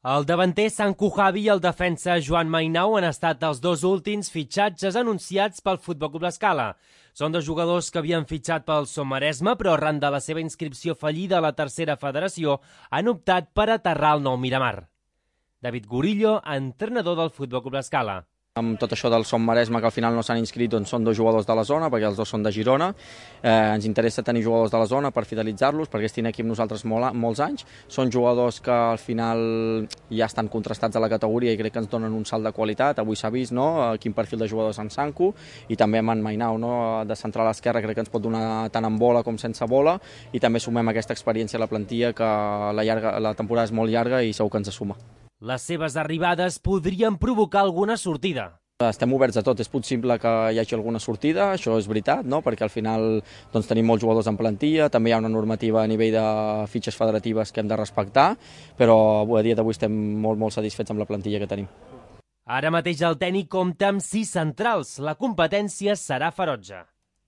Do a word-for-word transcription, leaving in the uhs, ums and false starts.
El davanter Sanku Javi i el defensa Joan Mainau han estat els dos últims fitxatges anunciats pel Futbol Club L'Escala. Són dos jugadors que havien fitxat pel Som Maresme, però arran de la seva inscripció fallida a la tercera federació han optat per aterrar al nou Miramar. David Gurillo, entrenador del Futbol Club L'Escala. Amb tot això del Som Maresme, que al final no s'han inscrit, doncs són dos jugadors de la zona, perquè els dos són de Girona. Eh, ens interessa tenir jugadors de la zona per fidelitzar-los, perquè estin aquí amb nosaltres molt, molts anys. Són jugadors que al final ja estan contrastats a la categoria i crec que ens donen un salt de qualitat. Avui s'ha vist, no?, quin perfil de jugadors en Sanku, i també amb en Mainau, no?, de central a l'esquerra, crec que ens pot donar tant amb bola com sense bola, i també sumem aquesta experiència a la plantilla, que la, llarga, la temporada és molt llarga i segur que ens suma. Les seves arribades podrien provocar alguna sortida. Estem oberts a tot, és possible que hi hagi alguna sortida, això és veritat, no?, perquè al final doncs, tenim molts jugadors en plantilla, també hi ha una normativa a nivell de fitxes federatives que hem de respectar, però a dia d'avui estem molt, molt satisfets amb la plantilla que tenim. Ara mateix el tècnic compta amb sis centrals, la competència serà ferotge.